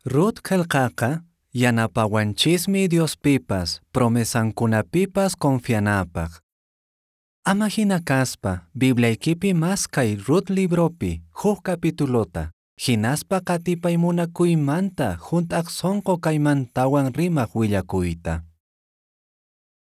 Rut qelqaqa yanapawanchismi Diospipas promesankunapipas confianapaq. Ama hina kaspa Bibliaykipi maskay Rut libropi huk capitulota, hinaspa qatipay munakuymanta hunt'aq sonqo kaymantawan rimaq willakuyta.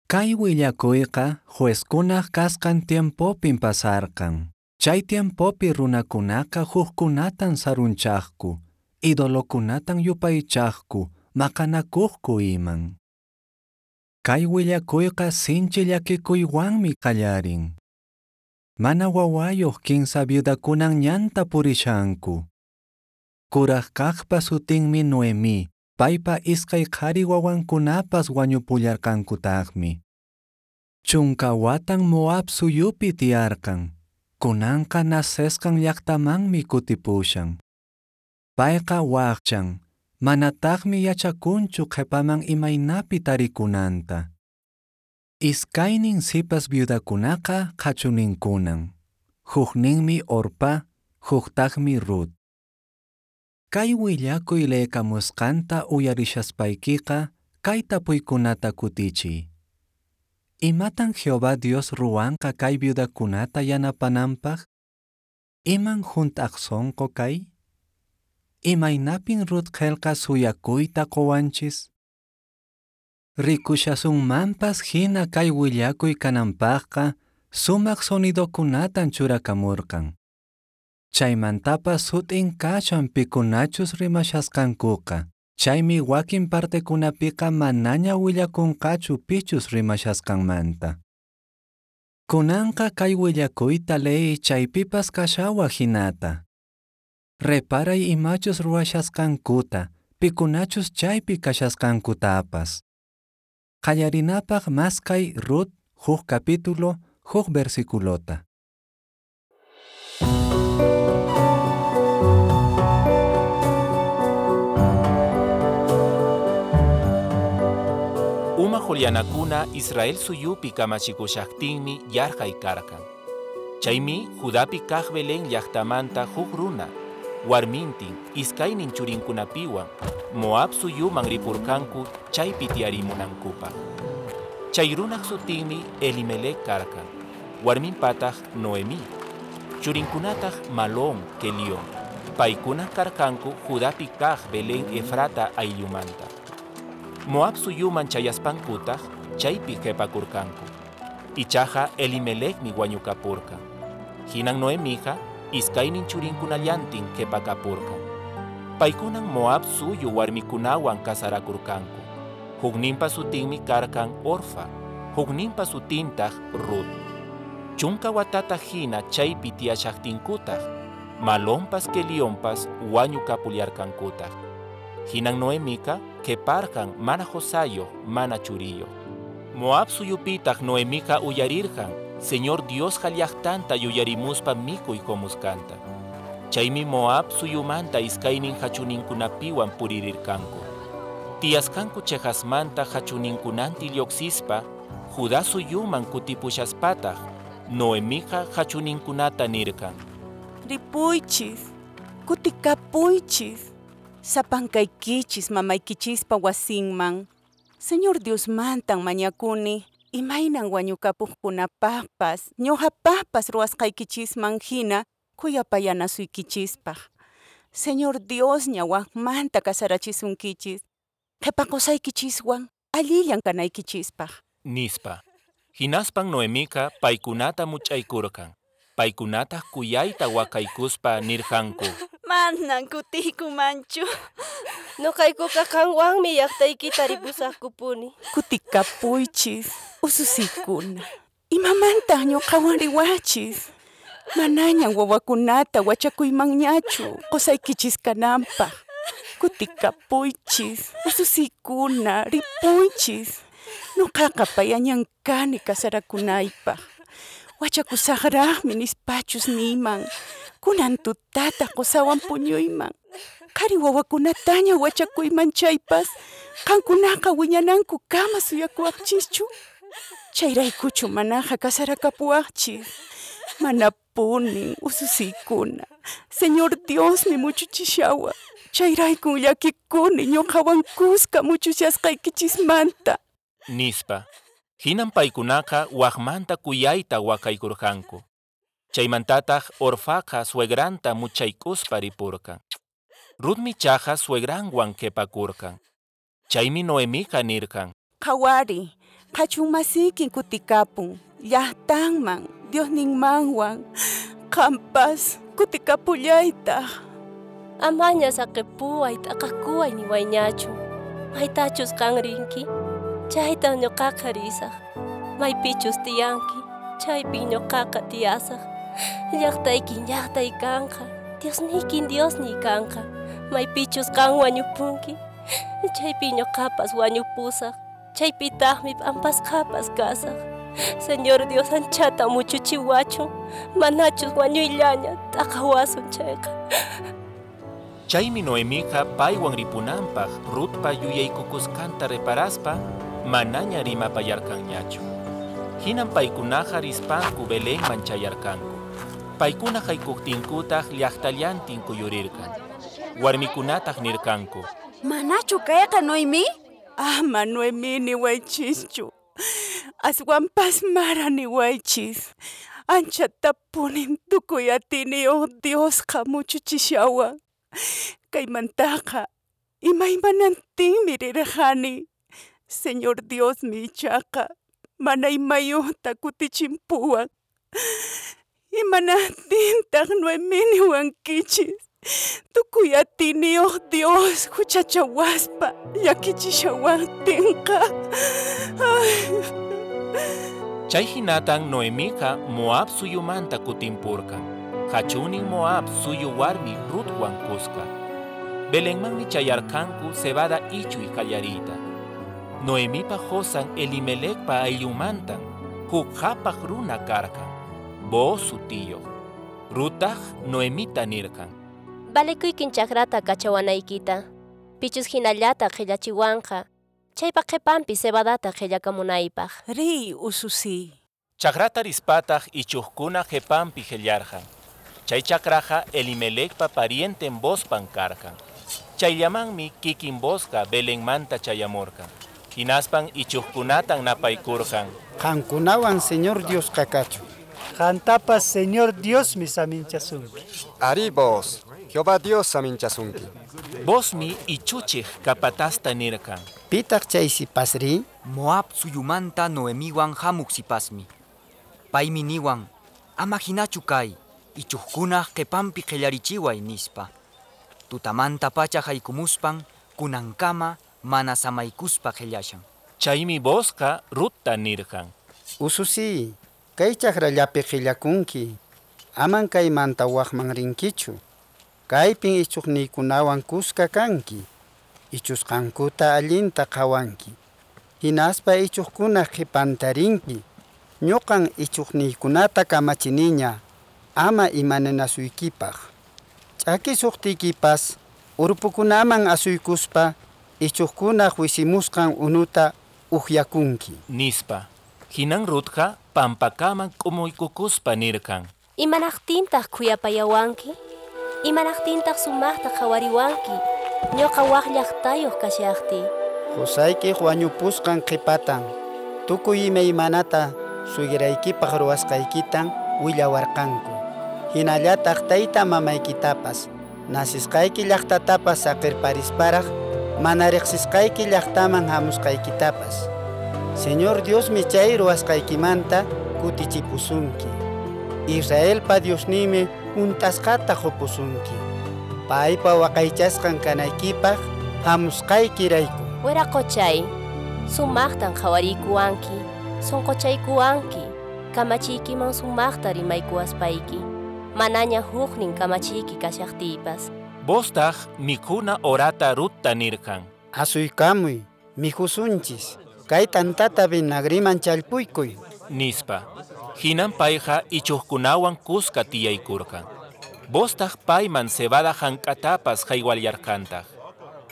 Kay willakuyqa juezkunaq kasqan tiempopin pasarqan. Chay tiempopi runakunaqa hukkunatan sarunchaqku, idolokunatan yupaychaqku, maqanakuqku iman. Kay willakuyqa sinchi llakikuywanmi qallarin. Mana wawayuq kinsa viudakunan ñanta purishanku. Kuraq kaqpa sutinmi Noemí, paypa iskay qhari wawankunapas wañupullarqankutaqmi. Chunka watan Moab suyupi tiyarqan, kunanqa nacesqan llaqtamanmi kutipushan. Payqa waqchan, manataqmi yachakunchu qhipaman imaynapi tarikunanta. Iskaynin sipas viudakunaqa qhachuninkunan. Hukninmi Orpá, huktaqmi Rut. Kay willakuy leekamusqanta uyarishaspaykiqa kay tapuykunata kutichiy. Imatan Jehová Dios ruwanqa kay viudakunata yanapananpaq? Iman hunt'aq sonqo kay? Imaynapin Rut qelqa suyakuyta qowanchis? Rikushasunmanpas hina kay willakuy kananpaqqa sumaq sonidokunatan churakamurqan. Chaymantapas sut'in kashan pikunachus rimashasqankuqa. Chaymi wakin partekunapiqa manaña willakunqachu pichus rimashasqanmanta. Kunanqa kay willakuyta leey chaypipas kashawaq hinata. Reparay imachus ruwashasqankuta, pikunachus chaypi kashasqankutapas. Qallarinapaq maskay Rut huk capítulo huk versiculota. Uma Julianakuna Israel suyupi kamachikushaqtinmi yarqay karqan. Chaymi Judapi kaq Belén llaqtamanta huk runa, warmintin iskaynin churinkunapiwan Moab suyuman ripurqanku chaypi tiyarimunankupaq. Chay runaq sutinmi Elimelec karqan, warminpataq Noemí, churinkunataq Malón, Kelión. Paykuna karqanku Judapi kaq Belén Efrata ayllumanta. Moab suyuman chayaspankutaq chaypi qhipakurqanku. Ichaqa Elimelecmi wañukapurqan. Hinan Noemija iskaynin churinkunallantin qhipakapurqan. Paykunan Moab suyu warmikunawan kasarakurqanku. Hukninpa sutinmi karqan Orfa, hukninpa sutintaq Rut. Chunka watata hina chaypi tiyashaqtinkutaq, Malonpas Kelionpas wañukapullarqankutaq. Hinan Noemika qhiparqan mana qusayuq, mana churiyuq. Moab suyupitaq Noemika uyarirqan Señor Diosqa llaqtanta yuyarimuspa mikuy qomusqanta. Chaymi Moab suyumanta iskaynin hachuninkunapiwan puririrqanku. Tiyasqanku cheqasmanta hachuninkunantin lluqsispa Judá suyuman kutipushaspataq Noemiqa hachuninkunata nirqan: Ripuychis, kutikapuychis, sapankaykichis mamaykichispa wasinman. Señor Diosmantan mañakuni, imaynan wañukapuqkunapaqpas, ñuqapaqpas ruwasqaykichisman hina khuyapayanasuykichispaq. Señor Diosña wakmanta kasarachisunkichis, qhipa qusaykichiswan allillan kanaykichispaq. Nispa. Hinaspan Noemika paykunata much'aykurqan. Paykunataq kuyayta waqaykuspa nirqanku: Manan kutiykumanchu. Noqaykuqa qanwanmi llaqtaykita ripusaqkupuni. Kutikapuychis, ususiykuna. Imamantaq ñuqawan riwachis? Manañan wawakunata wachakuymanñachu qusaykichis kananpaq. Kutikapuychis, ususiykuna, ripuychis. Ñuqaqa payañan kani kasarakunaypaq. Wachakusaqraqmi nispachus niyman. Kunan tutata qusawan puñuyman. Qhari wawakunataña wachakuyman chaypas, qankunaqa wiñanankukama suyakuwaqchischu? Chayraykuchu manaqa kasarakapuwaqchis? Manapunin, ususiykuna. Señor Diosmi muchuchishawan. Chayraykun llakikuni ñuqawan kuska muchushasqaykichismanta. Nispa. Hinan paykunaqa waqmanta kuyayta waqaykurqanku. Chaymantataq Orfaqa suegranta muchaykuspa ripurqan. Rutmi ichaqa suegranwan qhipakurqan. Chaymi Noemiqa nirqan: Qhawari, qhachun masiykin kutikapun, llaqtanman, Diosninmanwan. Qampas kutikapullaytaq. Amaña saqipuway, t'aqakuway niwayñachu. Maytachus qan rinki, chaytan ñuqaqa risaq. Maypichus tiyanki, chaypin ñuqaqa tiyasaq. Llaqtaykin llaqtay kanqa, Diosniykin Diosniy kanqa. Maypichus qan wañupunki, chaypin ñuqapas wañupusaq. Chaypitaqmi p'ampasqapas kasaq. Señor Dios anchata muchuchiwachun, manachus wañuyllaña t'aqawasun chayqa. Chaymi Noemiqa paywan ripunanpaq Rutpa yuyaykukusqanta reparaspa manaña rimapayarqanñachu. Hinan paykunaqa rispanku Belenman chayarqanku. Paykuna haykuqtinkutaq llaqtallantin kuyurirqan. Warmikunataq nirqanku: Manachu kayqa Noemí? Ama Noemí niwaychischu. Aswanpas Mara niwaychis. Anchatapunin tukuy atiyniyuq Diosqa muchuchishawan. Kaymantaqa imaymanantinmi rirqani. Señor Diosmi ichaqa mana imayuqta kutichimpuwan. Imanaqtintaq Noemí niwankichis? Tukuy atiyniyuq Dios huchachawaspa llakichishawaqtinqa. Chay hinatan Noemiqa Moab suyumanta kutimpurqan. Hachunin Moab suyu warmi Rutwan kuska. Belenmanmi chayarqanku cebada ichuy qallariyta. Noemipa qosan Elimelecpa ayllunmantan huk qhapaq runa karqan, Booz sutiyuq. Ruttaq Noemita nirqan: Valekuykin chakrata kachawanaykita. Pichus hinallata qhillachiwanqa, chaypa qhipanpi cebadata qhillakamunaypaq. Riy, ususiy. Chakrata rispataq ichuqkuna qhipanpi qillarqan. Chay chakraqa Elimelecpa parienten Boozpan karqan. Chayllamanmi kikin Boozqa Belenmanta chayamurqan. Hinaspan ichuqkunatan napaykurqan. Qankunawan Señor Diosqa kachun. Qantapas Señor Diosmi saminchasunki. Ari Booz, Jehová Dios saminchasunki. Boozmi ichuchiq capatazta nirqan: Pitaq chay sipasri? Moab suyumanta Noemiwan hamuq sipasmi. Paymi niwan, ama hinachu kay, ichuqkunaq qhipanpi qhillarichiway nispa. Tutamanta pacha haykumuspan kunankama mana samaykuspa qhillashan. Chaymi Boozqa Rutta nirqan: Ususiy, kay chakrallapi qillakunki. Aman kaymanta waqman rinkichu. Kaypin ichuqniykunawan kuska kanki. Ichusqankuta allinta qhawanki. Hinaspa ichuqkunaq qhipanta rinki. Ñuqan ichuqniykunata kamachiniña ama imananasuykipaq. Ch'akisuqtiykipas urpukunaman asuykuspa ichuqkunaq wisimusqan unuta upyakunki. Nispa. Hinan Rutqa pampakaman k'umuykukuspa nirqan: Imanaqtintaq khuyapayawanki? Imanaqtintaq sumaqta qhawariwanki? Ñuqa waq llaqtayuq kashaqtiy. Qusaykiq wañupusqan qhipatan tukuy imaymanata suegraykipaq ruwasqaykitan willawarqanku. Hinallataq tayta mamaykitapas nasisqayki llaqtatapas saqirparisparaq mana riqsisqayki llaqtaman hamusqaykitapas. Señor Diosmi chay ruwasqaykimanta kutichipusunki. Israelpa Diosninmi hunt'asqata qupusunki. Paypa waqaychasqan kanaykipaq hamusqaykirayku. Wiraqochay, sumaqtan qhawariykuwanki, sunquchaykuwanki, kamachiykiman sumaqta rimaykuwaspayki, manaña huknin kamachiyki kashaqtiypas. Booztaq mikhuna horata Rutta nirqan: Asuykamuy, mikhusunchis. Kay tantata vinagriman challpuykuy. Nispa. Hinan payqa ichuqkunawan kuska tiyaykurqan. Booztaq payman cebada hank'atapas haywallarqantaq.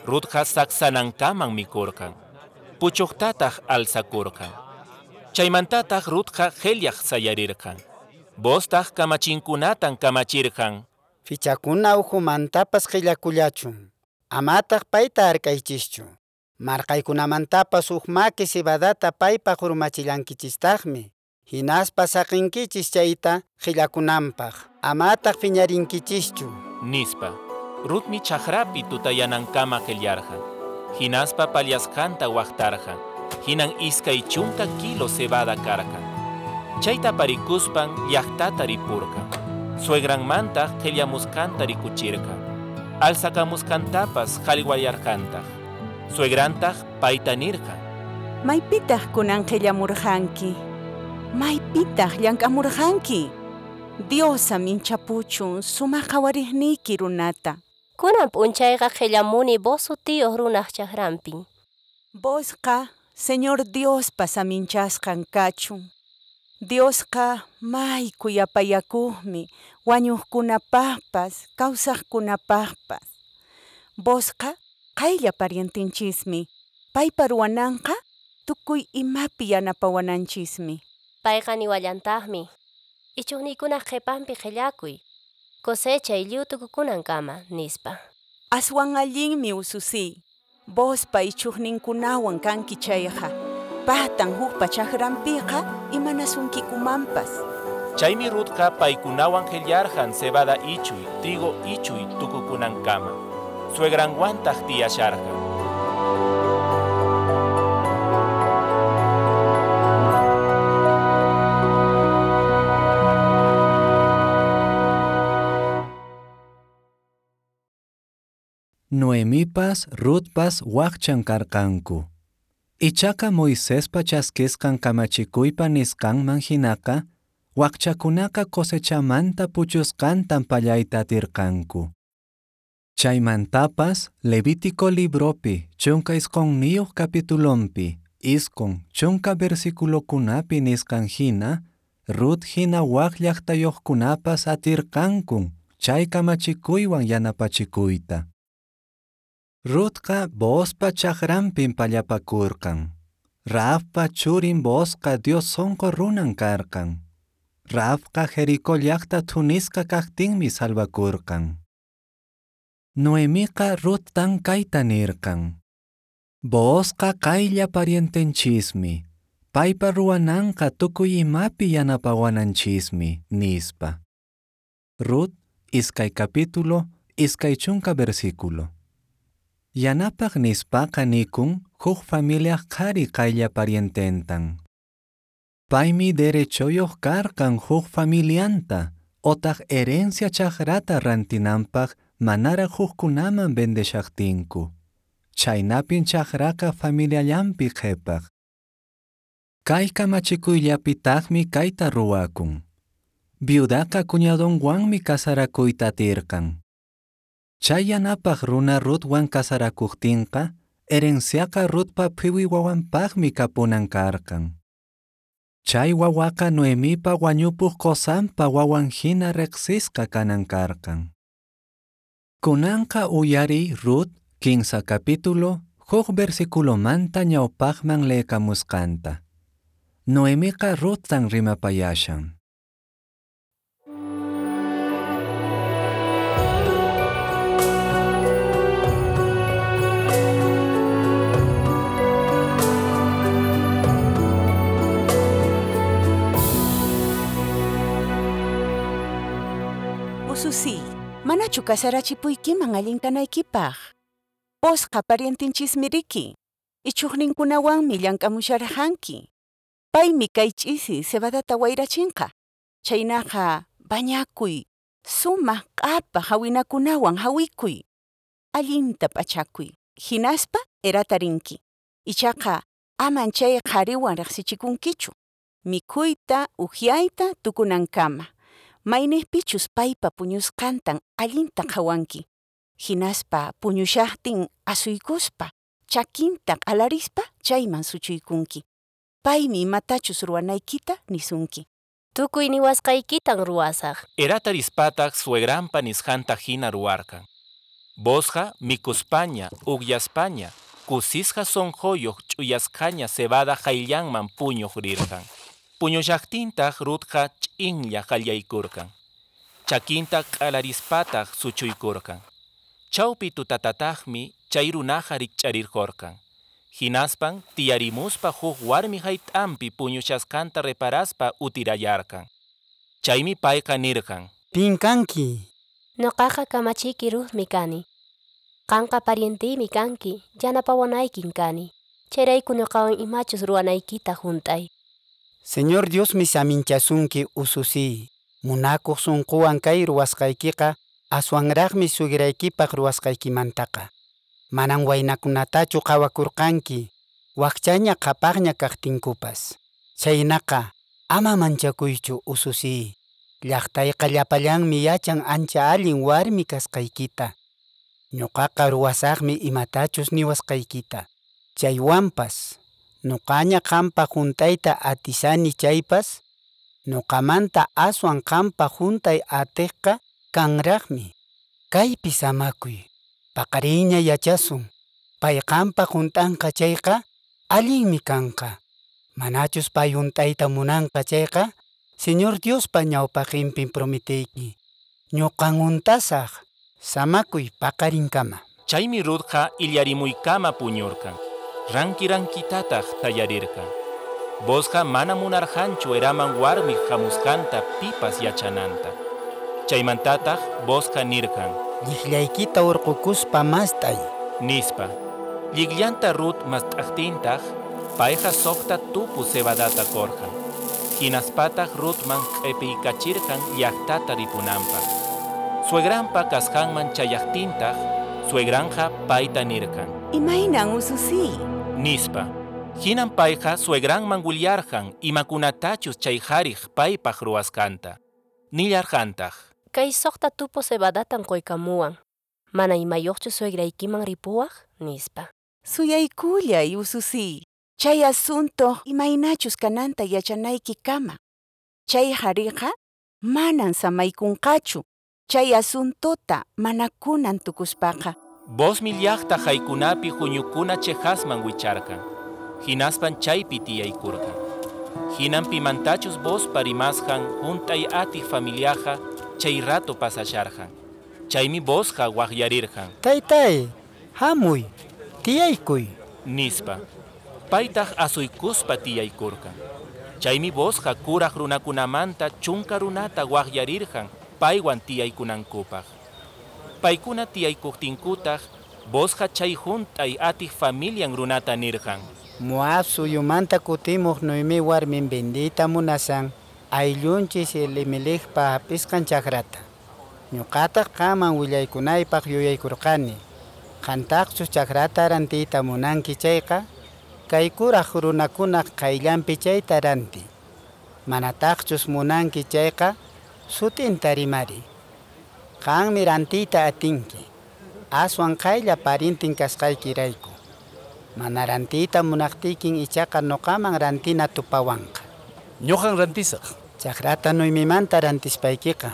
Rutqa saksanankaman mikurqan. Puchuqtataq alzakurqan. Chaymantataq Rutqa qhillaq sayarirqan. Booztaq kamachinkunatan kamachirqan: Fichakuna ukhumantapas qillakullachun. Amataq payta hark'aychischu. Marqaykunamantapas huk maki cebadata paypaq urmachillankichistaqmi. Hinaspa saqinkichis chayta qillakunanpaq. Amataq phiñarinkichischu. Nispa. Rutmi chakrapi tutayanankama qillarqan. Hinaspa pallasqanta waqtarqan. Hinan 20 kilo cebada karqan. Chayta parikuspan llaqtata ripurqan. Suegranmantaq qillamusqanta rikuchirqan. Alsakamusqantapas qallwallarqantaq. Suegrantaq payta nirqan. Maypitaq kunan qillamurqanki? Maypitaq llank'amurqanki? Dios saminchapuchun sumaq qhawariqniyki runata. Kunan p'unchayqa qillamuni Booz sutiyuq runaq chakranpin. Boozqa Señor Diospa saminchasqan kachun. Diosqa may khuyapayakuqmi wañuqkunapaqpas kawsaqkunapaqpas. Boozqa qaylla parientenchismi. Paypa ruwananqa tukuy imapi yanapawananchismi. Payqa niwallantaqmi. Ichuqniykunaq qhipanpi qillakuy. Cosechay lliw tukukunankama, nispa. Aswan allinmi ususiy. Boozpa ichuqninkunawan kanki chayqa. Paqtan hukpa chakranpiqa imanasunkikumanpas. Chaymi Rutqa paykunawan qillarqan cebada ichuy, trigo ichuy tukukunankama. Suegranwantaq tiyasharqan. Noemipas, Rutpas waqchan karqanku. Ichaqa Moisespa chaskisqan kamachikuypa nisqanman hinaqa, waqchakunaqa cosechamanta puchusqantan pallayta atirqanku. Chaymantapas Levítico libropi 19 capitulonpi 90 versiculokunapi nisqan hina, Rut hina waq llaqtayuqkunapas atirqankun chay kamachikuywan yanapachikuyta. Rutqa Boozpa chakranpin pallapakurqan. Rahabpa churin Boozqa Dios sonqo runan karqan. Rahabqa Jericó llaqta thunisqa kaqtinmi salvakurqan. Noemiqa Ruttan kayta nirqan. Boozqa qaylla parientenchismi. Paypa ruwananqa tukuy imapi yanapawananchismi, nispa. Rut, 2 capítulo, 20 versículo. Yanapaq nispaqa nikun huk familiaq qhari qaylla pariententan. Paymi derechoyuq karqan huk familianta otaq herencia chakrata rantinanpaq manaraq hukkunaman vendeshaqtinku. Chaynapin chakraqa familiallanpi qhipaq. Kay kamachikuyllapitaqmi kayta ruwakun. Viudaqa cuñadonwanmi casarakuyta atirqan. Chay yanapaq runa Rutwan casarakuqtinqa, herenciaqa Rutpa phiwi wawanpaqmi kapunan karqan. Chay wawaqa Noemipa wañupuq qosanpa wawan hina riqsisqa kanan karqan. Kunanqa uyariy Rut 15 capítulo huk versiculomanta ñawpaqman leekamusqanta. Noemiqa Ruttan rimapayashan. Ususiy, manachu kasarachipuykiman allin kanaykipaq? Boozqa parientenchismi riki. Ichuqninkunawanmi llank'amusharqanki. Paymi kay ch'isi cebadata wayrachinqa. Chaynaqa bañakuy, sumaq q'apaq hawinakunawan hawikuy. Allinta p'achakuy, hinaspa erata rinki. Ichaqa aman chay qhariwan riqsichikunkichu. Mikhuyta, uhyayta tukunankama. Mayniqpichus paypa puñusqantan allinta qhawanki. Hinaspa puñushaqtin asuykuspa, chakinta q'alarispa chayman suchuykunki. Paymi imatachus ruwanaykita nisunki. Tukuy niwasqaykitan ruwasaq. Erata rispataq suegranpa nisqanta hina ruwarqan. Boozqa mikuspaña, ukyaspaña, kusisqa sonqoyuq ch'uyasqaña cebada qayllanman puñuq rirqan. Puñullaqtintaq Rutqa ch'inlla qallaykurqan. Chakinta q'alarispataq suchuykurqan. Chawpi tutatataqmi chay runaqa rikch'arirqurqan. Hinaspan tiyarimuspa huk warmi hayt'anpi puñushasqanta reparaspa utirayarqan. Chaymi payqa nirqan: Pin kanki? Noqaqa kamachiyki Ruthmi kani. Qanqa parienteymi kanki, yanapawanaykin kani. Chayrayku noqawan imachus ruwanaykita hunt'ay. Señor Diosmi saminchasunki ususiy. Munakuq sunquwan kay ruwasqaykiqa aswanraqmi sugraykipaq ruwasqaykimantaqa. Manan waynakunatachu qhawakurqanki, wakchaña qhapaqña kaqtinkupas. Chhaynaqa ama manchakuychu ususiy. Llaqtayqa llapallanmi yachan ancha allin warmi kasqaykita. Ñuqaqa ruwasaqmi imatachus niwasqaykita. Chaywanpas, nuqaña qanpaq hunt'ayta atisani chaypas, nuqamanta aswan qanpaq hunt'ay atiqqa kanraqmi. Kaypi samakuy, paqarinña yachasun. Pay qanpaq hunt'anqa chayqa, allinmi kanqa. Manachus pay hunt'ayta munanqa chayqa, Señor Diospa ñawpaqinpin prometeyki. Ñuqan hunt'asaq, samakuy paqarinkama. Chaymi Ruthqa illarimuykama puñurqan. Ranki rankitataq tallarirqan. Boozqa mana munarqanchu eraman warmiq hamusqanta pipas yachananta. Chaymantataq Boozqa nirqan: Llikllaykita hurqukuspa mast'ay. Nispa. Llikllanta Ruth mast'aqtintaq, payqa suqta tupu cebadata qurqan. Hinaspataq Ruthman q'ipiykachirqan llaqtata ripunanpaq. Suegranpa kasqanman chayaqtintaq, suegranqa payta nirqan: Imaynan ususiy? Nispa. Hinan payqa suegranman willarqan imakunatachus chay qhariq paypaq ruwasqanta. Nillarqantaq: Kay suqta tupu cebadatan quykamuwan. Mana imayuqchu suegraykiman ripuwaq? Nispa. Suyaykullay ususiy. Chay asunto imaynachus kananta yachanaykikama. Chay qhariqa manan samaykunqachu. Chay asuntota mana kunan tukuspaqa. Boozmi llaqta haykunapi huñukuna cheqasman wicharqan. Hinaspan chaypi tiyaykurqan. Hinan pimantachus Boozpa rimasqan hunt'ay atiq familiaqa chay rato pasasharqan. Chaymi Boozqa waqyarirqan. Taytay, hamuy, tiyaykuy. Nispa. Paytaq asuykuspa tiyaykurqan. Chaymi Boozqa kuraq runakunamanta chunka runata waqyarirqan paywan tiyaykunankupaq. Paykuna tiyaykuqtinkutaq, Boozqa chay hunt'ay atiq familian runata nirqan: Moab suyumanta kutimuq Noemí warmin vendiyta munasan ayllunchis Elimelecpa hap'isqan chakrata. Ñuqataq qanman willaykunaypaq yuyaykurqani. Qantaqchus chakrata rantiyta munanki chayqa, kay kuraq runakunaq qayllanpi chayta rantiy. Manataqchus munanki chayqa, sutinta rimariy. Qanmi rantiyta atinki, aswan qaylla parintin kasqaykirayku. Mana rantiyta munaqtiykin ichaqa nuqaman rantina tupawanqa. Ñuqan rantisaq. Chakrata Noemimanta rantispaykiqa,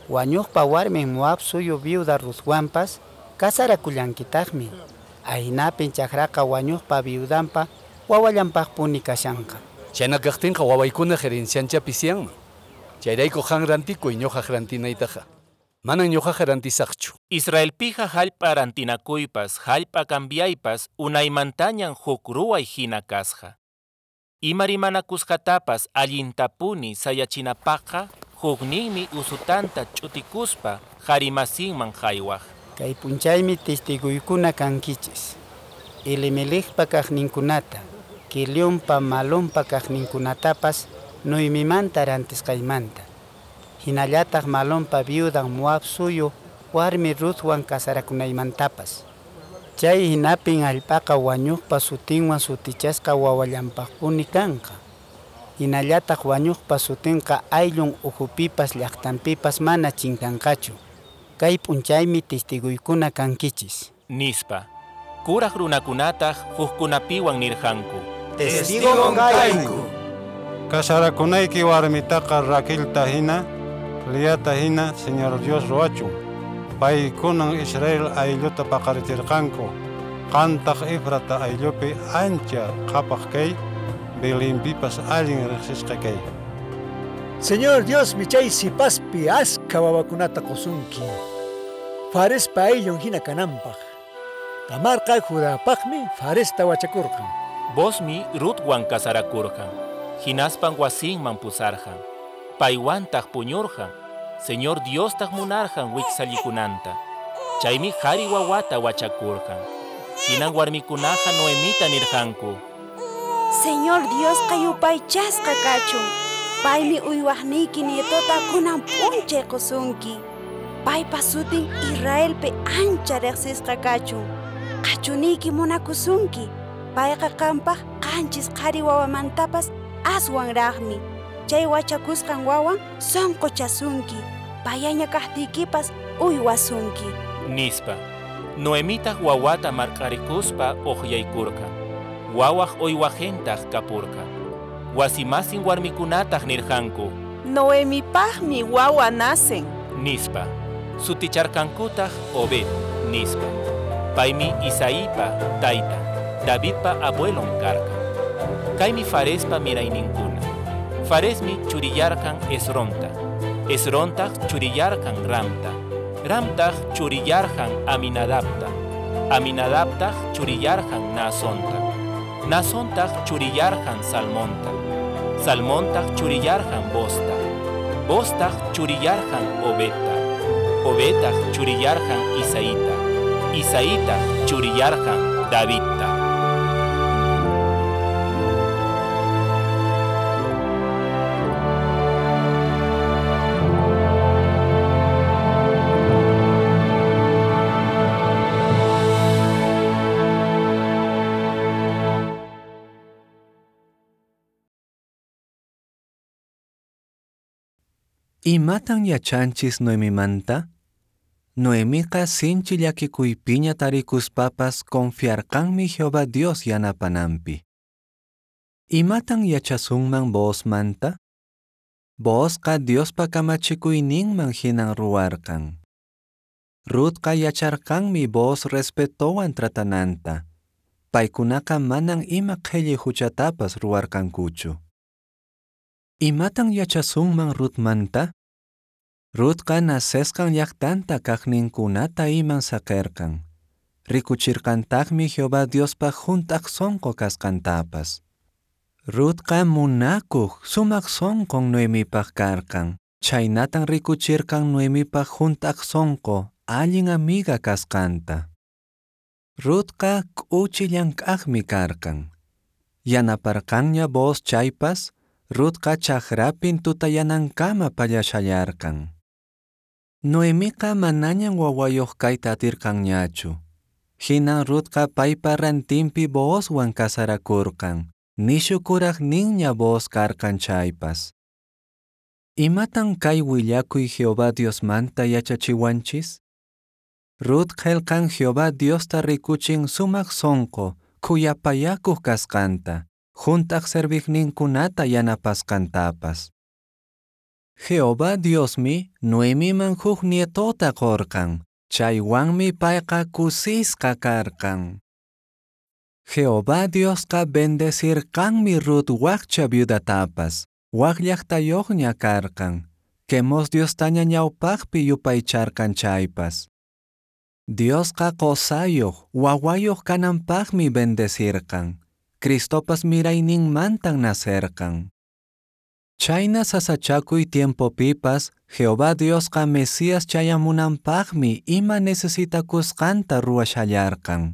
wañuqpa warmin Moab suyu viuda Ruthwanpas kasarakullankitaqmi. Ahinapin chakraqa wañuqpa viudanpa wawallanpaqpuni kashanqa. Chayna kaqtinqa wawaykuna herenciancha pisiyanman. Chayrayku qan rantikuy ñuqaq rantinaytaqa. Manan ñuqaqa rantisaqchu. Israelpiqa hallp'a rantinakuypas, hallp'a cambiaypas unaymantañan huk ruway hina kasqa. Ima rimanakusqatapas allintapuni sayachinapaqqa hukninmi usutanta ch'utikuspa qharimasinman haywaq. Kay p'unchaymi testiguykuna kankichis. Elimelecpa kaqninkunata, Quilionpa Malonpa kaqninkunatapas Noemimanta rantisqaymanta. Hinallataq Malonpa viudan Moab suyu warmi Ruthwan kasarakunaymantapas. Chay hinapin hallp'aqa wañuqpa sutinwan sutichasqa wawallanpaqpuni kanqa. Hinallataq wañuqpa sutinqa ayllun ukhupipas llaqtanpipas mana chinkanqachu. Kay p'unchaymi testiguykuna kankichis. Nispa. Kuraq runakunataq hukkunapiwan nirqanku: Testigon kayku. Kasarakunayki warmitaqa Raquelta hina, Leata hina Señor Dios ruwachun. Paykunan Israel aylluta paqarichirqanku. Qantaq Efrata ayllupi ancha qhapaq kay, Belenpipas allin riqsisqa kay. Señor Diosmi chay sipaspi askha wawakunata qusunki. Farespa ayllun hina kananpaq. Tamarqa Judapaqmi Faresta wachakurqan. Boozmi Rutwan kasarakurqan. Hinaspan wasinman pusarqan. Paywantaq puñurqan. Señor Diostaq munarqan wiksallikunanta. Chaymi qhari wawata wachakurqan. Hinan warmikunaqa Noemita nirqanku. Señor Diosqa yupaychasqa kachun. Paymi uywaqniyki nietota kunan p'unchay qusunki. Paypa sutin Israelpi ancha riqsisqa kachun. Qhachuniyki munakusunki. Payqa qampaq qanchis qhari wawamantapas aswanraqmi. Chay wachakusqan wawan sunquchasunki. Payaña kaqtiykipas uywasunki. Nispa. Noemitaq wawata marq'arikuspa uqyaykurqan. Wawaq uywaqintaq kapurqan. Wasimasin warmikunataq nirqanku. Noemipaqmi wawa nacen. Nispa. Suticharqankutaq Obed, nispa. Paymi Isaípa taytan, Davidpa abuelon karqan. Kaymi Farespa mirayninkuna. Faresmi churillarqan Esronta. Esrontaq churillarqan Ramta. Ramtaq churillarqan Aminadabta. Aminadabtaq churillarqan Naasonta. Naasontaq churillarqan Salmonta. Salmontaq churillarqan Boozta. Booztaq churillarqan Obedta. Obedtaq churillarqan Isaíta. Isaítaq churillarqan Davidta. Imatan yachanchis Noemimanta? Noemiqa sinchi llakikuypiña tarikuspapas confiarqanmi Jehová Dios yanapananpi. Imatan yachasunman Boozmanta? Boozqa Diospa kamachikuyninman hinan ruwarqan. Rutqa yacharqanmi Booz respetowan tratananta. Paykunaqa manan ima qhelli huchatapas ruwarqankuchu. Imatan yachasunman Rutmanta? Rutqa nacesqan llaqtanta kaqninkunata iman saqirqan. Rikuchirqantaqmi Jehová Diospaq hunt'aq sunqu kasqantapas. Rutqa munakuq sumaq sunqun Noemipaq karqan. Chhaynatan rikuchirqan Noemipaq hunt'aq sunqu allin amiga kasqanta. Rutqa k'uchi llank'aqmi karqan. Yanaparqanña Booz chaypas, Rutqa chakrapin tutayanankama pallashallarqan. Noemiqa manañan wawayuq kayta atirqanñachu. Hinan Rutqa paypa rantinpi Boozwan kasarakurqan. Nishu kuraqninña Booz karqan chaypas. Imatan kay willakuy Jehová Diosmanta yachachiwanchis? Rut qillqan Jehová Diosta rikuchin sumaq sunqu, khuyapayakuq kasqanta, hunt'aq serviqninkunata yanapasqantapas. Jehová Diosmi Noemiman huk nietota qurqan, chaywanmi payqa kusisqa karqan. Jehová Diosqa bendecirqanmi Rut wakcha viudatapas, wak llaqtayuqña karqan, Quemos Diostaña ñawpaqpi yupaycharqan chaypas. Diosqa qusayuq, wawayuq kananpaqmi bendecirqan. Cristopas mirayninmantan nacerqan. Chayna sasachakuy tiempopipas, Jehová Diosqa Mesías chayamunanpaqmi ima necesitakusqanta ruwashallarqan.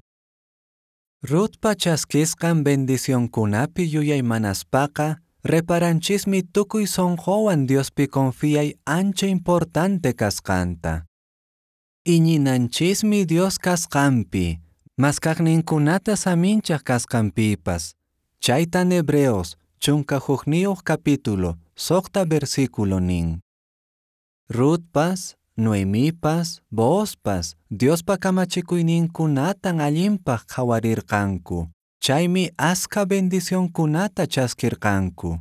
Rutpa chaskisqan bendicionkunapi yuyaymanaspaqa, reparanchismi tukuy sunquwan Diospi confiyay ancha importante kasqanta. Iñinanchismi Dios kasqanpi, maskaqninkunata saminchaq kasqanpipas. Chaytan Hebreos 11 capítulo, 6 versículo nin. Rutpas, Noemipas, Boozpas, Diospa kamachikuyninkunatan allinpaq qhawarirqanku. Chaymi askha bendicionkunata chaskirqanku.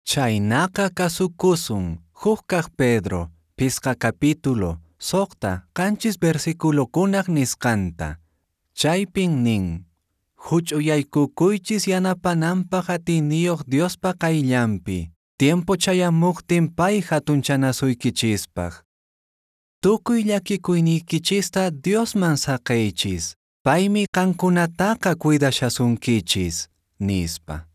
Chaynaqa kasukusun, huk kaq Pedro, 5 capítulo, 6, 7 versículokunaq nisqanta. Chaypin nin, huch'uyaykukuychis yanapananpaq atiyniyuq Diospa qayllanpi, tiempo chayamuqtin pay hatunchanasuykichispaq. Tukuy llakikuyniykichista Diosman saqeychis. Paymi qankunataqa cuidashasunkichis, nispa.